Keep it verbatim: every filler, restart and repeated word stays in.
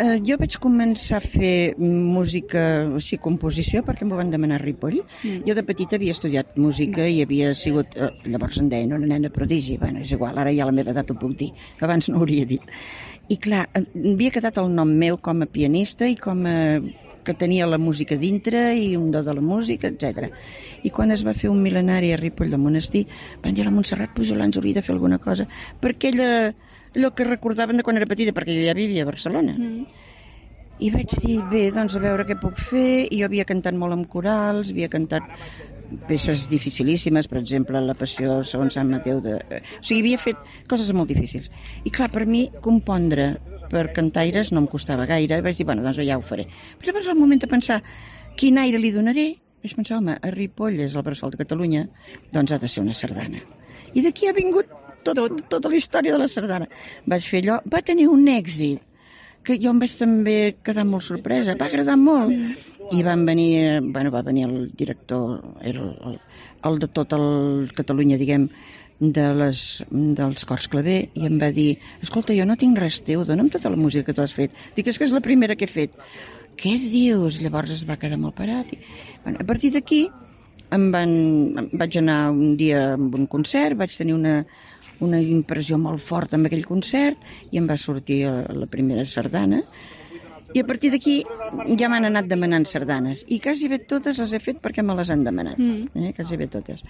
Uh, jo vaig començar a fer música, així, composició, perquè m'ho van demanar a Ripoll. Mm. Jo de petita havia estudiat música i havia sigut, uh, llavors em deien una nena prodigi. Bueno, és igual, ara ja a la meva edat ho puc dir. Abans no ho hauria dit. I clar, havia quedat el nom meu com a pianista i com a que tenia la música dintre i un do de la música, etcètera. I quan es va fer un mil·lenari a Ripoll del monestir, van dir a la Montserrat Pujol ens hauria de fer alguna cosa, perquè ella, allò que recordaven de quan era petita, perquè jo ja vivia a Barcelona. Mm. I vaig dir, bé, doncs a veure què puc fer, i jo havia cantat molt amb corals, havia cantat peces dificilíssimes, per exemple, La Passió segons Sant Mateu, de... o sigui, havia fet coses molt difícils. I clar, per mi, compondre per cantaires no em costava gaire, i vaig dir, bueno, doncs ja ho faré. Però llavors, al moment de pensar quin aire li donaré, vaig pensar, home, a Ripoll és el bressol de Catalunya, doncs ha de ser una sardana. I d'aquí ha vingut tot, tot, tota la història de la sardana. Vaig fer allò, va tenir un èxit, que jo em vaig també quedar molt sorpresa, va agradar molt. I van venir, bueno, va venir el director, era el, el de tot el Catalunya, diguem, de les, dels cors claver, i em va dir, escolta, jo no tinc res teu, dona'm tota la música que tu has fet. Dic, és que és la primera que he fet. Què dius? Llavors es va quedar molt parat. I, bueno, a partir d'aquí em van, em vaig anar un dia a un concert, vaig tenir una, una impressió molt forta amb aquell concert i em va sortir la primera sardana. I a partir d'aquí ja m'han anat demanant sardanes i quasi bé totes les he fet perquè me les han demanat, mm. eh? Quasi bé totes.